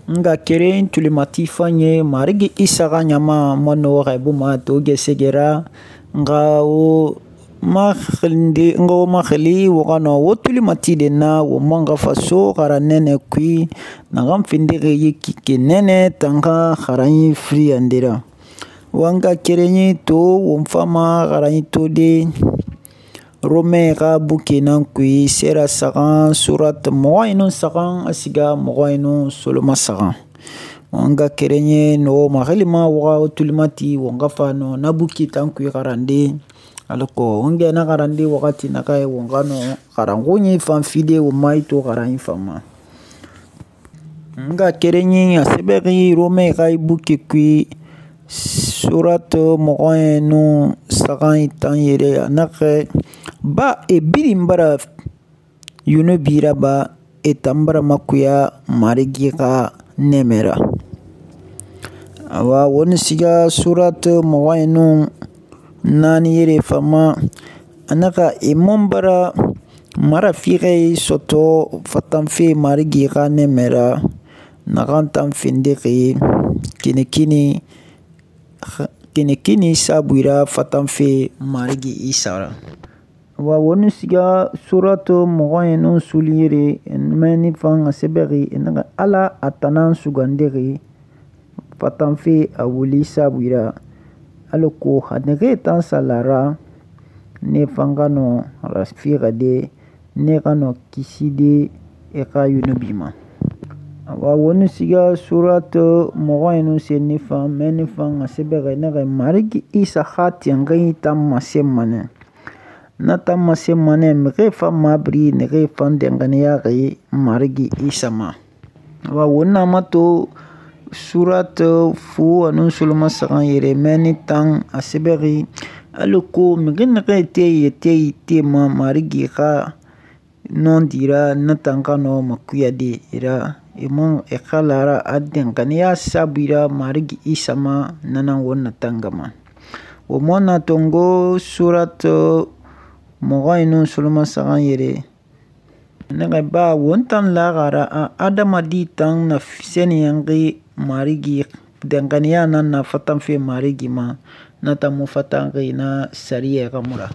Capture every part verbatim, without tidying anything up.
nga keren tulimati fanye Marigi Isa xa ɲama ma nɔxɔxɛ buma to gesegera nga wo maxilinde nga wo maxili wo xa nɔ wo tulimati de na wo man xa faso xara nɛnɛ kui naxan findixi yi kike nɛnɛ tan xa xaranyi firiyande ra. Wanga kerenyi to won fama xaranyi to de Romain xa buke nan kui sera saxan surat mɔxɔ inu saxan a siga mɔxɔ inu soloma saxan. Wanga kerenye no maxilima waxa tulimati won xa fa no na buke tan kui xarande alako won gɛ na xarande waxati naxɛ won xa no xaranxunyi fan fide won ma ito xaranyi fan ma. Nga kerenyi a sɛbɛxi Romain xa buke kui surat mɔxɔ inu saxan tan yɛrɛ a naxɛ ba e birin bara yunubi raba e tan bara makuya Marigi xa nɛmɛ ra. Awa woni siga surat mɔxɔ inu naani yɛrɛ fama a naxa e man bara marafixɛ sɔtɔ fatanfe Marigi xa nɛmɛ ra naxan tan findixi kinekini kinekini saabui ra fatanfe Marigi Isa ra. Wa woni siga surat mɔxɔ inu suli yɛrɛ mɛni fan a sɛbɛxi e naxa Ala a tanan sugandixi fatanfe a wuli saabui ra alako xa naxee tan salara ne fan xa nɔ rafixade ne xa nɔ kiside e xa yunubi ma. Awa woni siga surat mɔxɔ inu senni fan mɛni fan a sɛbɛxi naxɛ Marigi Isa xa tinxinyi tan masenma nɛ. Na tan masenma nɛ mixie fan mabiri naxee fan danxaniyaxi Marigi Isa ma. Awa woni na mato surat fu anu soloma saxan yɛrɛ mɛni tan a sɛbɛxi alako mixi naxee te yɛtɛ tema Marigi xa nɔndi ra na tan xa nɔ makuyade ra e man e xa lara a danxaniya saabui ra Marigi Isa ma nanan won na tangama. Wo man na tongo surat mɔxɔ inu soloma saxan yɛrɛ naxɛ ba won tan laxara a adamadi tan na sɛniyɛnxi Marigi danxaniya nan na fatanfe Marigi ma na tan mu fatanxi na sariya xa mu ra.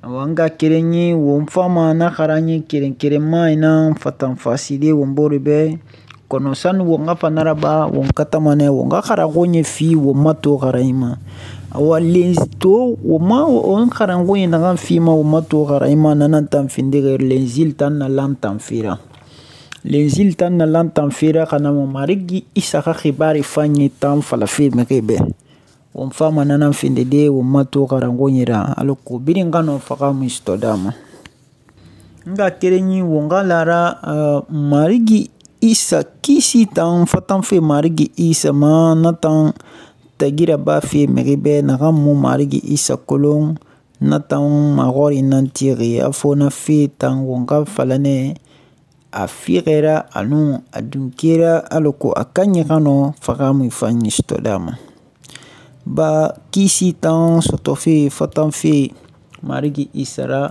Awa nga kerenyi won fama na xaranyi kerenkerenma nan fatanfaside won bore bɛ kɔnɔ sani won xa fa naraba won katama nɛ won xa xaranxunyi fi won ma to xaranyi ma. Awa lenzi to won ma won xaranxunyi naxan fi ma won ma to xaranyi ma nanan tan findixi lenzil tan na lan tan fera. Lenzil tan na lan tan fera xana mo Marigi Isa xa xibari fanye tan falafe mixie bɛ. Won fama nanan findide won ma to xaranxunyi ra alako birin xa nɔ faxa mu sutɔ dama. Nga kerenyi won xa lara uh, Marigi Isa kisi tan fatanfe Marigi Isa ma na tan tagira ba fe mixi bɛ naxan mu Marigi Isa kolon na tan maxɔri nan tixi a fo na fe tan won xa falanɛ a fixɛra anu a dunkera alako a kanyi xa nɔ faxa mu fanyi sutɔ dama. Ba kisi tan sɔtɔfe fatanfe Marigi Isa ra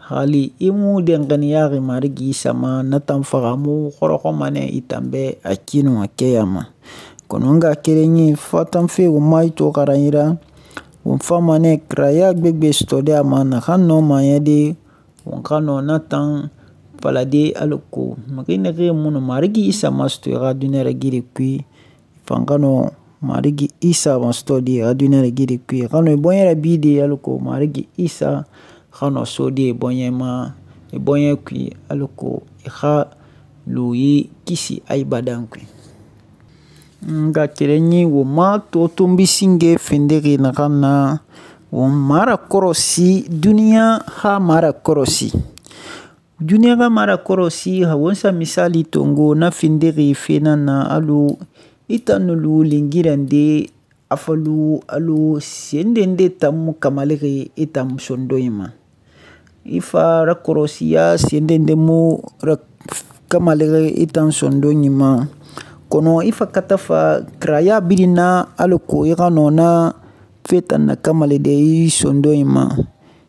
hali i mu danxaniyaxi Marigi Isa ma na tan faxa mu xɔrɔxɔma nɛ i tan bɛ a kinu a kɛya ma. Kɔnɔ nga kerenyi fatanfe won ma ito xaranyi ra won fama nɛ kiraya gbegbe sutɔ de a ma naxan nɔ mayɛde won xa nɔ na tan falade alako mixi naxee mu nɔ Marigi Isa masutɔ i xa duniya ragire kui fan xa nɔ Marigi Isa masutɔ de i xa duniya ragire kui i xa nɔ i bɔɲɛ rabide alako Marigi Isa xa nɔ sode i bɔɲɛ ma i bɔɲɛ kui alako i xa lu yi kisi abadan kui. Nga kerenyi won ma to tonbi singe findixi naxan na won mara kɔrɔsi duniya xa mara kɔrɔsi. Duniya xa mara kɔrɔsi ha won sa misali tongo na findixi fe nan na alu i tan nulu lingirande a falu alu sendende tan mu kamalixi i tan sondonyi ma. I fa rakɔrɔsiya sendende mu kamalixi i tan sondonyi ma. Kono i fa kata fa kiraya birin na alako i xa nɔ na fe tan na kamali de i sondonyi ma.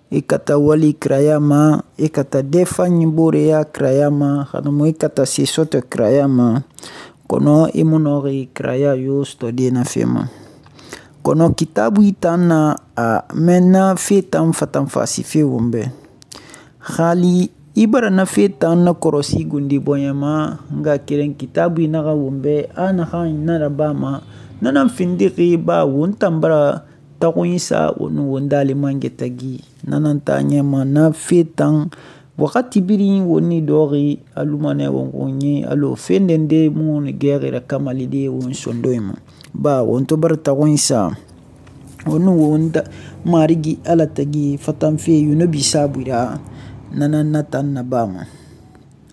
I kata wali kiraya ma, i kata dɛ fanyi boreya kiraya ma, xana mu i kata se sɔtɔ kiraya ma. kono i mu nɔxi kiraya yo sɔtɔde na fe ma. Kono kitaabui tan na a mɛnna fe tan fatanfasi fe won bɛ. Hali i bara na fe tan na kɔrɔsi gundi bɔɲɛ ma, nga keren kitaabui naxa won bɛ a naxan na rabama na nan findixi ba won tan bara taxunyi sa won won dalimangɛtagi. Na nan ta ɲɛma na fe tan waxati birin won ni dɔxi alumanɛ won xunyi alo fendende mu ni gɛxi rakamalide won sondoyi ma. Ba won to bara taxunyi sa won won da marigi Ala tagi fatanfe yunubi saabui ra na nan na tan nabama.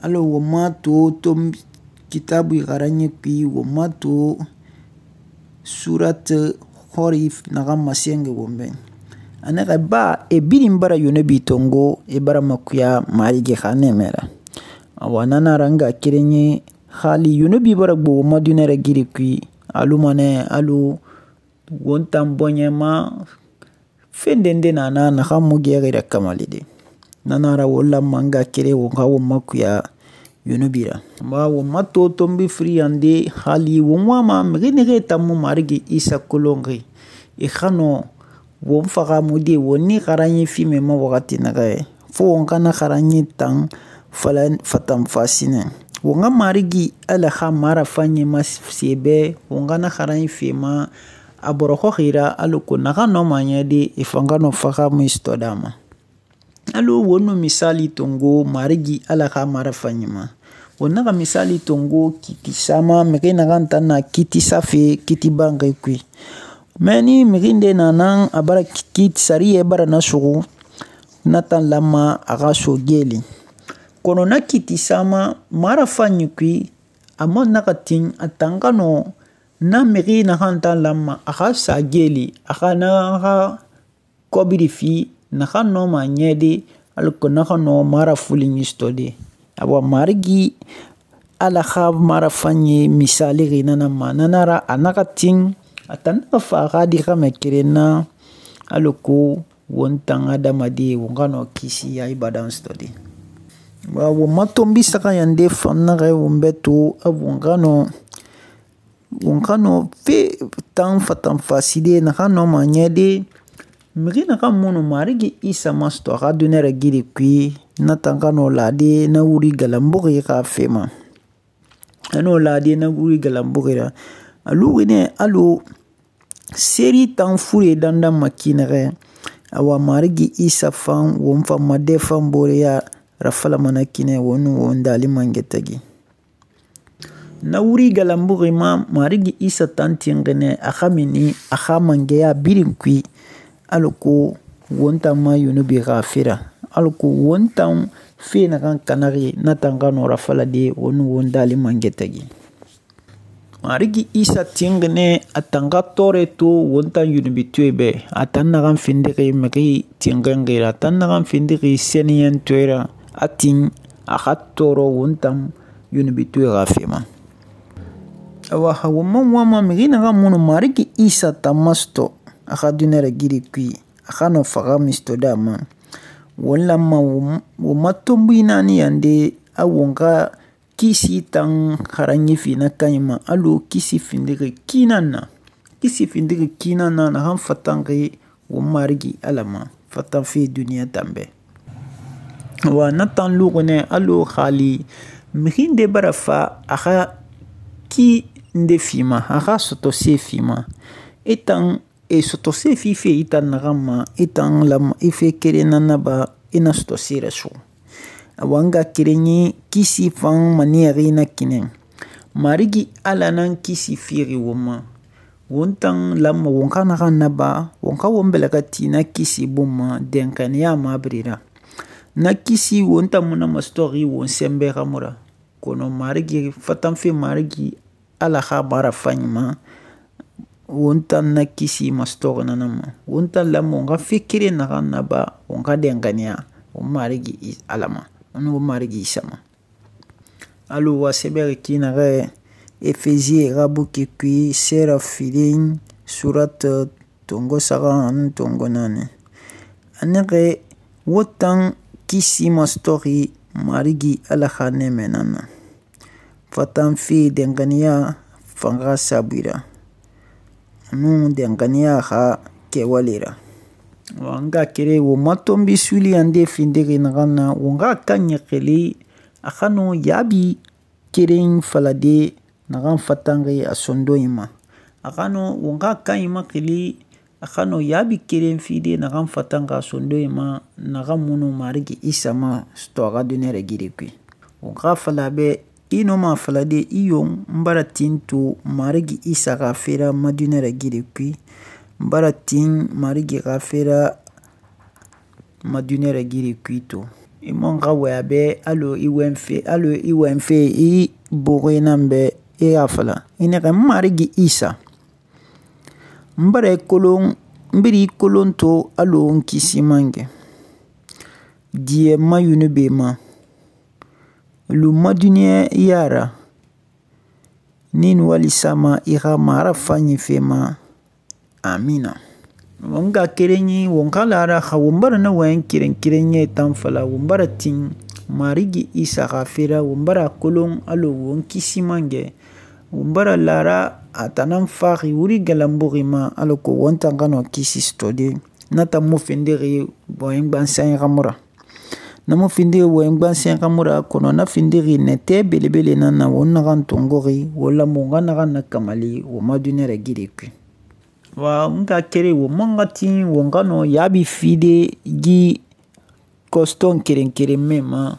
Alo won ma to to kitaabui xaranɲɛ kui won ma to surat Horif naxan masɛnge won bɛ. A naxa ba e birin bara yunubi tongo e bara makuya marigi xa nɛmɛ ra. Awa nana ra nga kerenɲɛ hali yunubi bara gbo won ma duniya ragiri kui alumanɛ alo won tan bɔɲɛ ma fendende na na naxan mu gɛxi rakamalide. Nana ra won lanma nga kere won xa won makuya yunubi ra. Ba won ma to tonbi firiyande hali won wama mixi naxee tan mu marigi Isa kolonxi e xa nɔ won faxamude won ni xaranɲɛ fime ma waxati naxɛ fo won xana xaranɲɛ tan fatanfasinɛ. Won xa marigi Ala xa marafanɲɛ ma se bɛ won xana xaranɲɛ fema a bɔrɔxɔxi ra alako naxan nɔma ɲɛde e fan xa nɔ faxamu sɔtɔda ma. Alo won nu misali tongo marigi Ala xa marafanɲɛ ma. Won naxa misali tongo kitisa ma mixi naxan tan na kitisa fe kiti banxi kui. Mɛ ni mixi nde na nan a bara kiti sariya bara na suxu na tan lanma a xa so geli. Kono na kitisa ma marafanɲɛ kui a man naxa tin a tan xa nɔ na mixi naxan tan lanma a xa sa geli a xa na xa kɔbiri fi naxan nɔma ɲɛde alako naxa nɔ marafulinɲɛ sɔtɔde. Awa marigi Ala xa marafanɲɛ misalixi nana ma. Nana ra a naxa tin a tan naxa fa a xa di xamɛ keren na alako won tan adamade won xa nɔ kisi a ibadan sɔtɔde. Wa won ma tonbi saxayande fan naxɛ won bɛ to a won xa nɔ won xa nɔ fe tan fatanfaside naxan nɔma ɲɛde mixi naxan mu nu marigi Isa masɔtɔ a xa duniya ragiri kui na tan xa nɔ lade na wuri galanbuxi xa fe ma. A nɔ lade na wuri galanbuxi ra. A luxi nɛ alo seri tan fure dandan maki naxɛ awa marigi Isa fan won fan ma dɛ fan boreya rafalamana kinɛ won nu won dalimangɛtagi. Na wuri galanbuxi ma marigi Isa tan tinxinɛ a xa mini a xa mangɛya birin kui alako won tan ma yunubi xa fera alako won tan fe naxan kanaxi na tan xa nɔ rafalade won nu won dalimangɛtagi. Marigi Isa tinxinɛ a tan xa tɔɔrɛ to won tan yunubitɔɛ bɛ a tan naxan findixi mixi tinxinxi ra a tan naxan findixi sɛniyɛntɔɛ ra a tin a xa tɔɔrɔ won tan yunubitɔɛ xa fe ma. Awa won man wama mixi naxan mu nu marigi Isa tan masɔtɔ a xa duniya ragiri kui a xa nɔ faxamu sɔtɔda ma. Won lanma won ma tonbui naani yande a won xa kisi tan xaranɲɛ fi na kanɲɛ ma alo kisi findixi kinan na. Kisi findixi kinan na naxan fatanxi won marigi Ala ma fatanfe duniya tan bɛ. Wa na tan luxi nɛ alo hali mixi nde bara fa a xa ki nde fi ma a xa sɔtɔse fi ma e tan e sɔtɔse fi fe i tan naxan ma i tan lanma i fe keren na naba i na sɔtɔse rasuxu. Awa nga kerenɲɛ kisi fan maniyɛxi na kinɛ marigi Ala nan kisi fixi won ma won tan lanma won xa naxan naba won xa won bɛlɛxɛti na kisi bun ma dɛnxaniya mabiri ra. Na kisi won tan mu na masɔtɔxi won sɛnbɛ xamu ra kono marigi fatanfe marigi Ala xa marafanɲɛ ma won tan na kisi masɔtɔxi nana ma. Won tan lanma won xa fe keren naxan naba won xa dɛnxaniya won marigi Ala ma won won marigi Isa ma. Alo wa sɛbɛxi ki naxɛ Efezie xa buki kui sera filin surat tongo saxan ani tongo naani. A naxɛ wo tan kisi masɔtɔxi marigi Ala xa nɛmɛ nan na. fatan fe danganiya fan xa saabui ra nun danganiya xa kɛwale ra. Wa n nga kere wo ma tɔnbi suli nde findixi naxan na won xa kan ɲaxili a xa nɔ yaabi keren falade naxan fatanxi a sondonyi ma. A xa nɔ won xa kan maxili a xa nɔ yaabi keren fide naxan fatanxi a sondonyi ma naxan munu Marigi Isa ma sɔtɔ a xa duniɲa ragiri kui. Won xa fala bɛ i nɔma a falade i yon n bara tin to Marigi Isa xa fera ma duniɲa ragiri kui. N bara tin Marigi xa fera ma duniɲa ragiri kui to. I man xa waya bɛ alo i wɛnfe alo i wɛnfe i boxe nan bɛ i y'a fala i nɛxɛ n Marigi Isa n bara i kolon n biri i kolon to alo n kisi man kɛ diɲɛ ma yunube ma lu ma duniɲa yara ni walisa ma i xa mara fanyi fe ma amina. Won ga kerenyi won kalara xa won bara na wayan keren kerenye tan fala won bara tin Marigi Isa xa fera won bara kolon alo won kisi mange won bara lara a tanan faxi wuri galambuxi ma alo ko won tan xano kisi stode na tan mo findixi wayan gbansan xamura na mo findixi wayan gbansan xamura kono na findixi nete belebele nan na won naxan tongoxi wala mo nga naxan na kamali wo ma duniɲa ragiri kui. Wa n ka kere wo man ka tin won ka nɔ yaabi fide gi kɔstɔn keren keren mɛ ma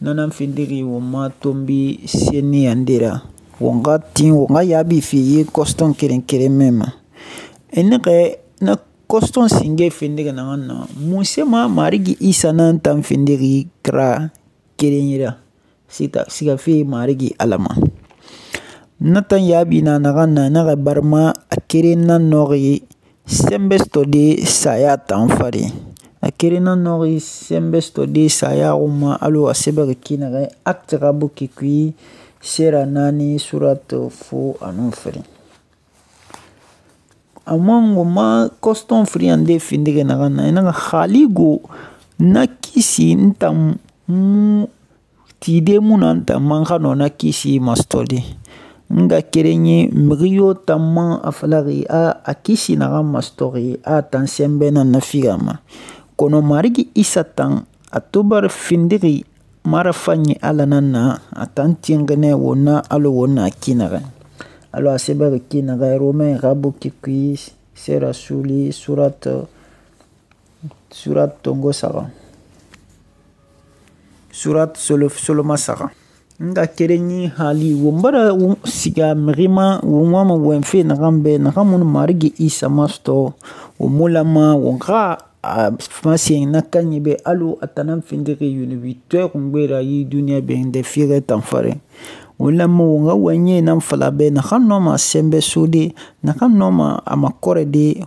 nanan findixi won ma tɔnbi senni yande ra won ka tin won ka yaabi fi ye kɔstɔn keren keren mɛ ma. E nɛxɛ na kɔstɔn singe findixi naxan na mun se ma Marigi Isa nan tan findixi kira keren ra sigafe Marigi Ala ma. Na tan yaabi na naxan na naxa barima a keren nan nɔxi sɛnbɛ sɔtɔde saya tan fari a keren nan nɔxi sɛnbɛ sɔtɔde saya xuma alo a sɛbɛxi ki naxɛ Acte xa buki kui sera naani surat fo anu fari. Amma wo ma kɔstɔn firi nde findixi naxan na i naxa xali go na kisi n tan mu tide mu na n tan man xa nɔ na kisi masɔtɔde. Nga kerenye mixi yo tan man a falaxi a a kisi naxan masɔtɔxi a tan sɛnbɛ nan na figa ma kono Marigi Isa tan a to bara findixi mara fanyi Ala nan na a tan tinxinɛ won na alo won na ki naxɛ alo a sɛbɛxi ki naxɛ Romain xa buki kui sera suli surat surat tongo saxa surat soloma saxa. Nga kerenyi hali won bara siga mixi ma won wama wɛnfe naxan bɛ naxan munu Marigi Isa ma sɔtɔ won mu lama won xa a masen na kanyi bɛ alo a tanan findixi yunubitɔɛ xungbe ra yi duniɲa bɛ nde fiixɛ tan fari won lama won xa wɛnye nan fala bɛ naxan nɔma sɛnbɛ sode naxan nɔma a makɔrɛ de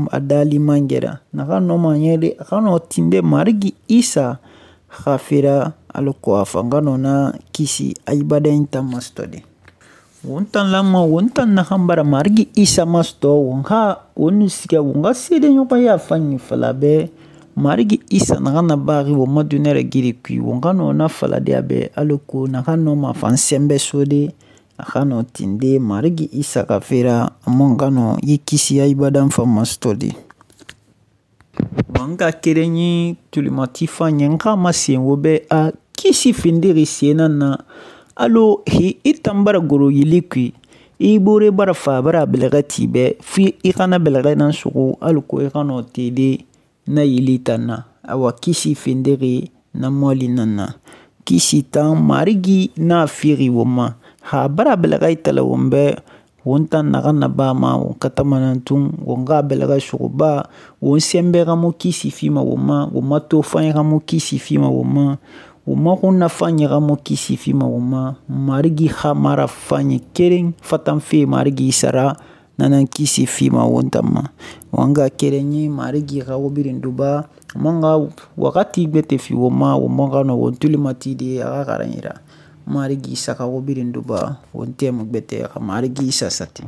a dali mangɛra naxan nɔma ɲɛde a xa nɔ tinde Marigi Isa xa fera alo ko a fan ka nɔ na kisi a ibadayin tan masɔtɔde. Won tan lama won tan naxan bara Marigi Isa masɔtɔ won xa won siga won ka seedeɲɔgɔnya fanyi fala bɛ Marigi Isa naxan na baxi won ma duniɲa ragiri kui won ka nɔ na faladeya bɛ alo ko naxan nɔma fan sɛnbɛ sode a xa nɔ tinde Marigi Isa xa fera a man ka nɔ yi kisi a ibadan fan masɔtɔde. Wa n ka kerenyi tulimati fanyi n xa masen wo bɛ a kisi findixi sen nan na alo hi i tan bara goro yili kui i bore bara fa bara bɛlɛxɛ ti bɛ fi i xana bɛlɛxɛ nan suxu alo ko i xa nɔ tede na yili tan na awa kisi findixi na mɔli nan na kisi tan Marigi na fixi won ma xa bara bɛlɛxɛ itala won bɛ won tan naxan na ba ma won katamanan tun won xa bɛlɛxɛ suxuba won sɛnbɛ xa mu kisi fima won ma won ma to fanyi xa mu kisi fima won ma won ma xun na fanyi xa mu kisi fima won ma Marigi xa mara fanyi keren fatan fe Marigi Isa ra nanan kisi fima won tan ma. Wa n ga kerenyi Marigi xa wo birin duba man ga wakati gbete fi won ma won man xa nɔ won tulimati de a xa xaran yira Marigi Isa xa wo birin duba won tɛmu gbete xa Marigi Isa sati.